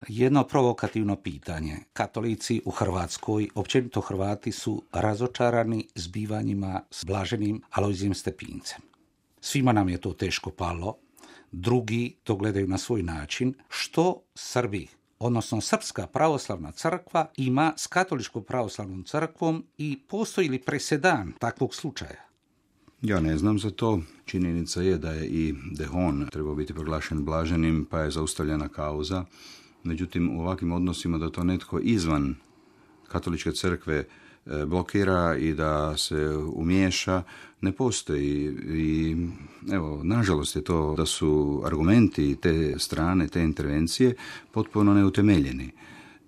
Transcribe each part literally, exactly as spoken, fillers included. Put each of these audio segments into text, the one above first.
Jedno provokativno pitanje. Katolici u Hrvatskoj, općenito Hrvati, su razočarani zbivanjima s blaženim Alojzijem Stepincem. Svima nam je to teško palo, drugi to gledaju na svoj način. Što Srbi, odnosno Srpska pravoslavna crkva, ima s Katoličkom pravoslavnom crkvom i postoji li presedan takvog slučaja? Ja ne znam za to. Činjenica je da je i Dehon trebao biti proglašen blaženim, pa je zaustavljena kauza. Međutim, u ovakvim odnosima da to netko izvan Katoličke crkve blokira i da se umiješa, ne postoji. I evo, nažalost je to da su argumenti te strane, te intervencije potpuno neutemeljeni.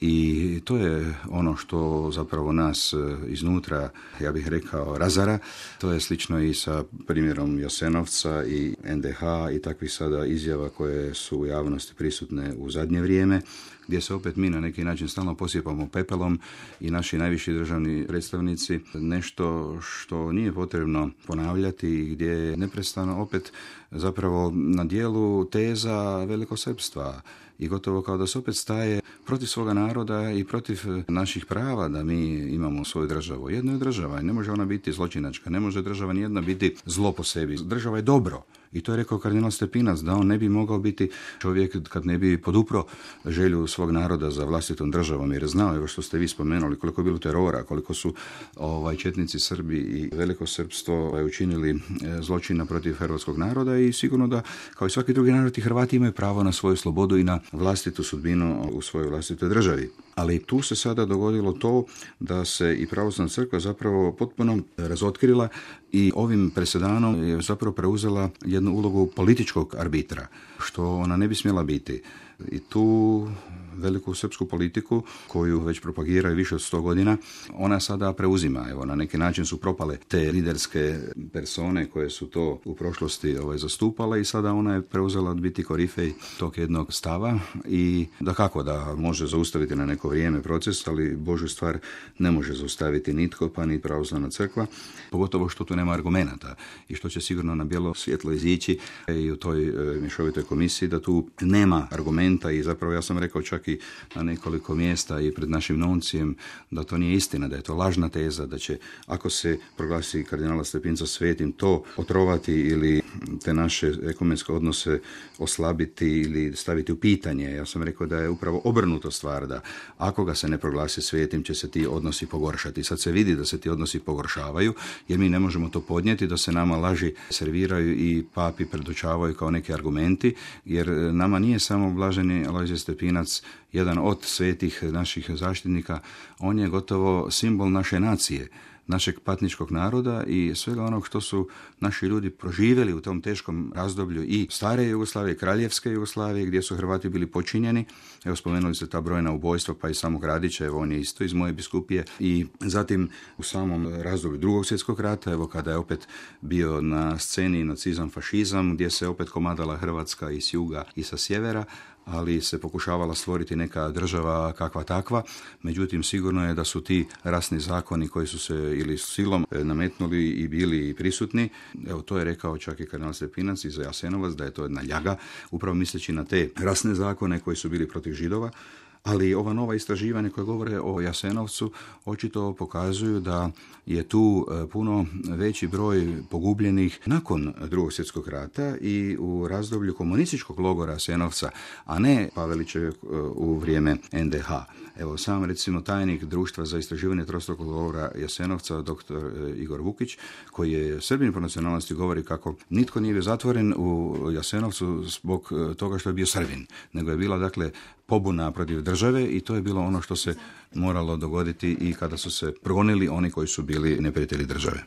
I to je ono što zapravo nas iznutra, ja bih rekao, razara. To je slično i sa primjerom Jasenovca i en de ha i takvih sada izjava koje su u javnosti prisutne u zadnje vrijeme, gdje se opet mi na neki način stalno posipamo pepelom i naši najviši državni predstavnici nešto što nije potrebno ponavljati i gdje je neprestano opet zapravo na dijelu teza velikosrpstva i gotovo kao da se opet staje protiv svoga naroda i protiv naših prava da mi imamo svoju državu. Jedna je država i ne može ona biti zločinačka, ne može država nijedna biti zlo po sebi. Država je dobro. I to je rekao kardinal Stepinac, da on ne bi mogao biti čovjek kad ne bi podupro želju svog naroda za vlastitom državom, jer je znao, evo što ste vi spomenuli, koliko je bilo terora, koliko su ovaj, četnici Srbi i velikosrpstvo ovaj, učinili zločina protiv hrvatskog naroda i sigurno da, kao i svaki drugi narod, i Hrvati imaju pravo na svoju slobodu i na vlastitu sudbinu u svojoj vlastitoj državi. Ali tu se sada dogodilo to da se i pravoslavna crkva zapravo potpuno razotkrila i ovim presedanom je zapravo preuzela jednu ulogu političkog arbitra, što ona ne bi smjela biti. I tu veliku srpsku politiku, koju već propagiraju više od sto godina, ona sada preuzima. Evo, na neki način su propale te liderske persone koje su to u prošlosti ovaj, zastupale i sada ona je preuzela biti korifej tog jednog stava i da kako da može zaustaviti na neko vrijeme proces, ali Božju stvar ne može zaustaviti nitko, pa ni pravoslavna crkva, pogotovo što tu nema argumenata i što će sigurno na bijelo svjetlo izići i u toj e, mješovitoj komisiji da tu nema argumenta i zapravo ja sam rekao čak i na nekoliko mjesta i pred našim nuncijem da to nije istina, da je to lažna teza, da će ako se proglasi kardinala Stepinca svetim to otrovati ili te naše ekumenske odnose oslabiti ili staviti u pitanje. Ja sam rekao da je upravo obrnuto stvar, da ako ga se ne proglasi svetim će se ti odnosi pogoršati. Sad se vidi da se ti odnosi pogoršavaju jer mi ne možemo to podnijeti, da se nama laži serviraju i papi predočavaju kao neki argumenti, jer nama nije samo blaženi Alojzije Stepinac jedan od svetih naših zaštitnika, on je gotovo simbol naše nacije, našeg patničkog naroda i svega onog što su naši ljudi proživjeli u tom teškom razdoblju i stare Jugoslavije, kraljevske Jugoslavije, gdje su Hrvati bili počinjeni. Evo, spomenuli ste ta brojna ubojstva, pa i samog Radića, evo on je isto iz moje biskupije. I zatim u samom razdoblju Drugog svjetskog rata, evo kada je opet bio na sceni nacizam, fašizam, gdje se opet komadala Hrvatska i s juga i sa sjevera, ali se pokušavala stvoriti neka država kakva takva. Međutim, sigurno je da su ti rasni zakoni koji su se ili silom nametnuli i bili prisutni. Evo, to je rekao čak i kardinal Stepinac i za Jasenovac, da je to jedna ljaga, upravo misleći na te rasne zakone koji su bili protiv Židova. Ali ova nova istraživanja koje govore o Jasenovcu očito pokazuju da je tu puno veći broj pogubljenih nakon Drugog svjetskog rata i u razdoblju komunističkog logora Jasenovca, a ne Pavelićeve u vrijeme en de ha. Evo, sam recimo tajnik Društva za istraživanje trostrukog logora Jasenovca, doktor Igor Vukić, koji je Srbin po nacionalnosti, govori kako nitko nije bio zatvoren u Jasenovcu zbog toga što je bio Srbin, nego je bila, dakle, pobuna protiv države i to je bilo ono što se moralo dogoditi i kada su se progonili oni koji su bili neprijatelji države.